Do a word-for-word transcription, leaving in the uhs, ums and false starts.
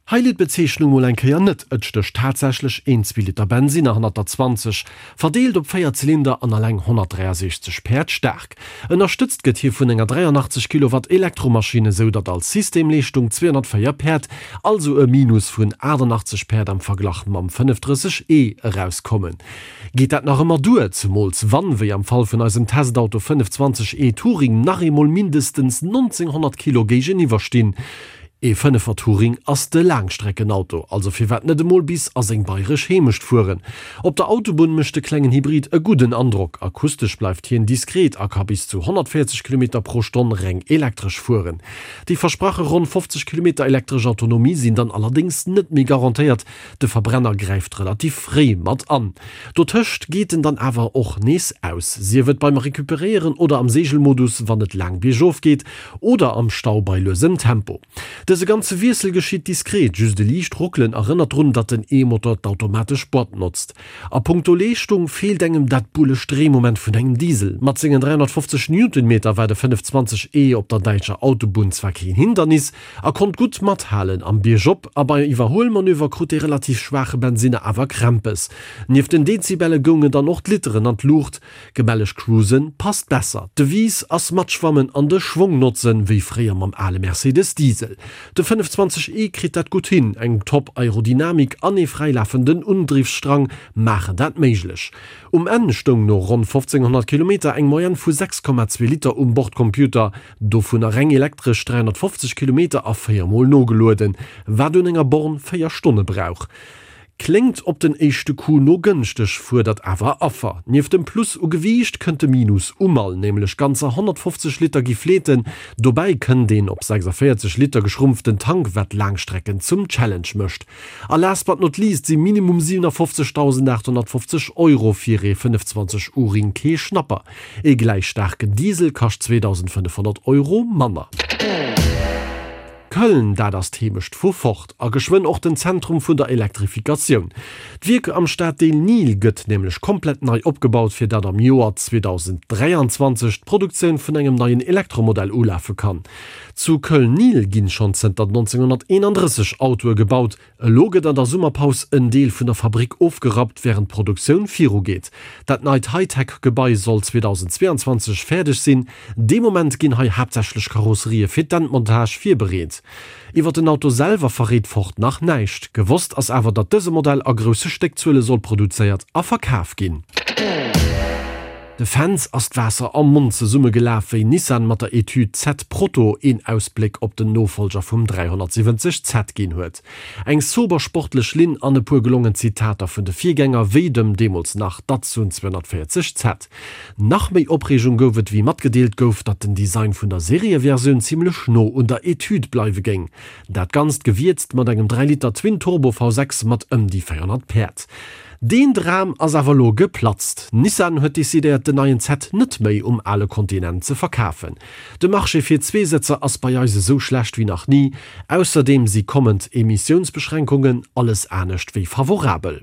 Hei litt d'Bezeechnung mol eng Kéier net, et stécht tatsächlech een zwee Liter Bensinner hannert der zwanzeg, verdeelt op véier Zylinder an alleng honnertdräiasechzeg Päerd staark. Ënnerstëtzt gëtt hie vun enger dräianachtzeg Kilowatt Elektromaschinn, esou datt als Systemleeschtung zweehonnertvéier Päerd, also e Minus vun aachtannachtzeg Päerd am Verglach mam fënnefdrësseg E erauskommen. Geet dat nach ëmmer duer, zemools wann, wéi am Fall vun eisem Testauto fënnefzwanzeg E Touring, nach eemol mindestens nonzénghonnert Kilo géigeniwwer stinn? Ee Fënnefer Touring ass de Laangstreckenauto, also firwat net emol bis a seng bayresch Heemecht fueren? Op der Autobunn mécht de klengen Hybrid e gudden Androck, akustesch bleift hien diskret a ka bis zu honnertvéierzeg Kilometer pro Stonn reng elektresch fueren. Déi versprache ronn fofzeg Kilometer elektresch Autonomie sinn dann allerdéngs net méi garantéiert, de Verbrenner gräift relativ fréi mat an. Dotëscht geet en dann awer och nees aus, sief et beim Recuperéieren oder am Seegelmodus, wann et laang biergof geet, oder am Stau bei luesem Tempo. Dëse ganze Wiessel geschitt diskret, just e liicht Ruckelen erënnert drun, datt den E-Motor d'automatesch Boîte notzt. A punkto Leeschtung feelt engem dat bullecht Dréimoment vun engem Diesel. Mat sengen dräihonnertfofzeg Newtonmeter war de fënnefzwanzeg E op der däitscher Autobunn zwar keen Hindernis a konnt gutt mathalen am Biergop, a bei Iwwerhuelmanöver krut dee relativ schwaache Bensinner awer Krämpes. Nieft den Dezibelle goungen dann och d'Literen an d'Luucht. Gemälleg cruisen passt besser. D'Devise ass matschwammen an de Schwong notzen, wéi fréier mam ale Mercedes Diesel. De fënnefzwanzeg E kritt dat gutt hin, eng top Aerodynamik an ee fräilafenden Undriffsstrang maachen dat méiglech. Um Enn stoung no ronn fofzénghonnert Kilometer eng Moyenne vu sechs Komma zwee Liter um Bordcomputer, dovunner reng elektresch dräihonnertfofzeg Kilometer a véier Mol nogelueden, wat un enger Born véier Stonne brauch. Kléngt op den éischte Coup no gënschteg, fuerdert awer Affer. Nieft dem Plus u Gewiicht kënnt de Minus u Mall, nämlech ganzer honnertfofzeg Liter gi fleeten. Dobäi kënnt een op sechsavéierzeg Liter geschrumpften Tank, wat Laangstrecken zum Challenge mécht. A last but not least si minimum siewenafofzegdausendachthonnertfofzeg Euro fir ee fënnefzwanzeg Uring kee Schnapper. Ee gläich staarken Diesel kascht zweedausendfënnefhonnert Euro manner. Köln, dat ass d'Heemecht vu Ford a geschwënn och den Zentrum vun der Elektrifikatioun. D'Wierk am Staddeel Niehl gëtt nämlech komplett nei opgebaut, fir datt am Joer zweedausend dräianzwanzeg d'Produktioun vun engem neien Elektromodell ulafe kann. Zu Köln-Niehl ginn schonn zënter nonzénghonnerteenandrësseg Autoe gebaut. Elo gëtt an der Summerpaus en Deel vun der Fabrick ofgerappt, wärend d'Produktioun virugeet. Dat neit Hightech-Gebai soll zweedausendzweeanzwanzeg fäerdeg sinn. Dee Moment ginn hei haaptsächlech Karosserië fir d'Endmontage virbereet. Iwwer den Auto selwer verréit Ford nach näischt. Gewosst ass awer, datt dëse Modell a grousse Stéckzuele soll produzéiert a verkaf ginn. De Fans ass d'Waasser am Mond zesummegelaf, wéi Nissan mat der Etüd Z Proto een Ausbléck op den Nofollger vum dräihonnertsiwwenzeg Z ginn huet. Eng sober sportlech Linn an e puer gelongen Zitater vun de Virgänger, wéi dem deemools nach Datsun zweehonnertvéierzeg Z. Nach méi Opreegung gouf et, wéi matgedeelt gouf, datt den Design vun der Serieversioun zimmlech no un der Etüd bleiwe géing. Dat Ganzt gewierzt mat engem dräi Liter Twin-Turbo V sechs mat ëm déi véierhonnert Päerd. Deen Dram ass awer elo geplatzt. Nissan huet decidéiert den neien Z net méi um ale Kontinent ze verkafen. De Marché fir Zweesëtzer ass bei eis esou schlecht wéi nach ni. Ausserdeem si kommend Emissiounsbeschränkungen alles anescht wéi favorabel.